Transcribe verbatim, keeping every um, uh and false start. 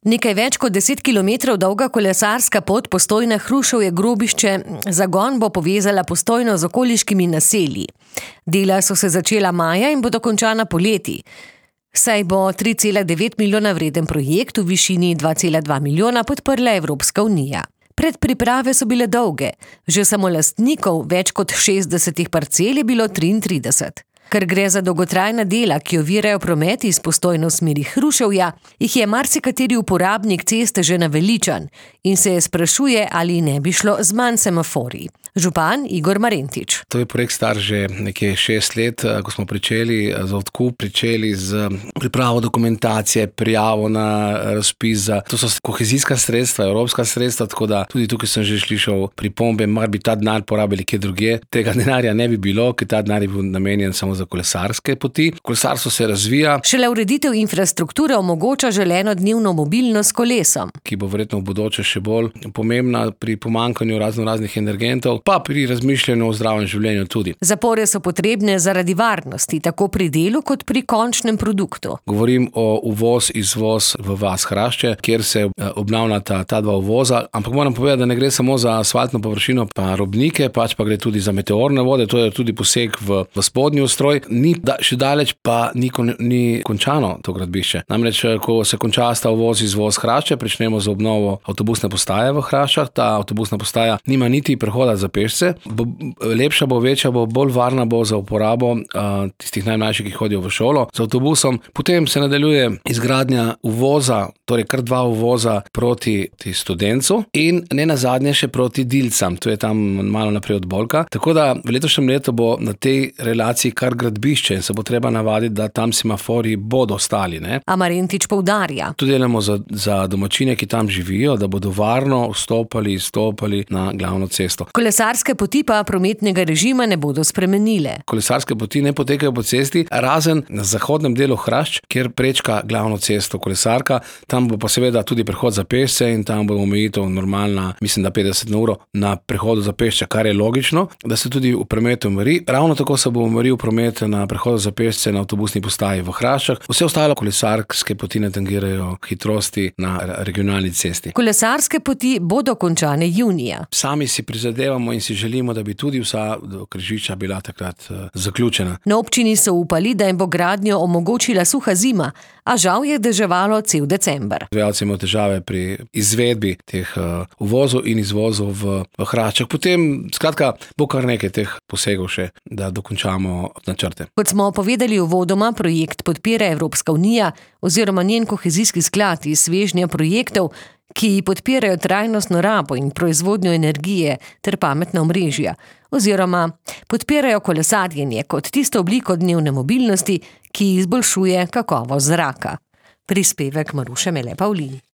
Nekaj več kot deset kilometrov dolga kolesarska pot Postojna-Hruševje-Grobišče zagon bo povezala Postojno z okoliškimi naselji. Dela so se začela maja in bodo končana poleti. Saj bo tri cela devet milijona vreden projekt v višini dva cela dva milijona podprla Evropska unija. Predpriprave so bile dolge, že samo lastnikov več kot šestdesetih parcel je bilo triintrideset. Ker gre za dolgotrajna dela, ki ovirajo promet iz Postojne v smeri Hruševja, jih je marsikateri uporabnik ceste že naveličan in se sprašuje, ali ne bi šlo z manj semaforji. Župan Igor Marentič. To je projekt star že nekje šest let, ko smo pričeli za odkup, pričeli z pripravo dokumentacije, prijavo na razpis za, to so kohezijska sredstva, evropska sredstva, tako da tudi tukaj sem že slišal pripombe, mar bi ta denar porabili kje drugje. Tega denarja ne bi bilo, ker ta denar je bil namenjen samo za kolesarske poti. Kolesarstvo se razvija. Šele ureditev infrastrukture omogoča želeno dnevno mobilnost s kolesom, ki bo verjetno v bodoče še bolj pomembna pri pomanjkanju razno raznih energentov, pa pri razmišljanju o zdravem življenju tudi. Zapore so potrebne zaradi varnosti, tako pri delu kot pri končnem produktu. Govorim o uvoz, izvoz v vas Hrašče, kjer se obnavljata ta dva uvoza, ampak moram povedati, da ne gre samo za asfaltno površino pa robnike, pač pa gre tudi za meteorne vode, to je tudi poseg v, v spodnji ustroj. Ni da, še daleč pa ni, kon, ni končano to gradbišče. Namreč, ko se konča sta uvoz, izvoz Hrašče, pričnemo z obnovo avtobusne postaje v Hraščah. Ta avtobusna postaja nima niti prehoda za pešce. Bo, lepša bo, večja bo, bolj varna bo za uporabo uh, tistih najmlajših, ki hodijo v šolo z avtobusom. Potem se nadaljuje izgradnja uvoza, torej kar dva uvoza proti Studencu in ne nazadnje še proti Dilcam. To je tam malo naprej od Bolka. Tako da v letošnjem letu bo na tej relaciji kar gradbišče in se bo treba navaditi, da tam semaforji bodo stali. Ne? A Marentič poudarja. Tu delamo za, za domačine, ki tam živijo, da bodo varno vstopali, izstopali na glavno cesto. Kolesarske poti pa prometnega režima ne bodo spremenile. Kolesarske poti ne potekajo po cesti, razen na zahodnem delu Hrašč, kjer prečka glavno cesto kolesarka. Tam bo pa seveda tudi prehod za pešce in tam bo omejitev normalna, mislim, da petdeset na uro na prehodu za pešce, kar je logično, da se tudi v prometu umiri. Ravno tako se bo umiril promet na prehodu za pešce na avtobusni postaji v Hraščah. Vse ostalo kolesarske poti ne tangirajo hitrosti na regionalni cesti. Kolesarske poti bodo končane junija. Sami si prizadevamo in si želimo, da bi tudi vsa do križišča bila takrat uh, zaključena. Na občini so upali, da jim bo gradnjo omogočila suha zima, a žal je deževalo cel december. Izvajalci imajo težave pri izvedbi teh uh, uvozov in izvozov v, v Hraščah. Potem, skratka, bo kar nekaj teh posegov še, da dokončamo načrte. Kot smo povedali uvodoma, projekt podpira Evropska unija oziroma njen kohezijski sklad iz svežnja projektov, ki podpirajo trajnostno rabo in proizvodnjo energije ter pametna omrežja, oziroma podpirajo kolesarjenje kot tisto obliko dnevne mobilnosti, ki izboljšuje kakovost zraka. Prispevek Maruše Mele Pavlin.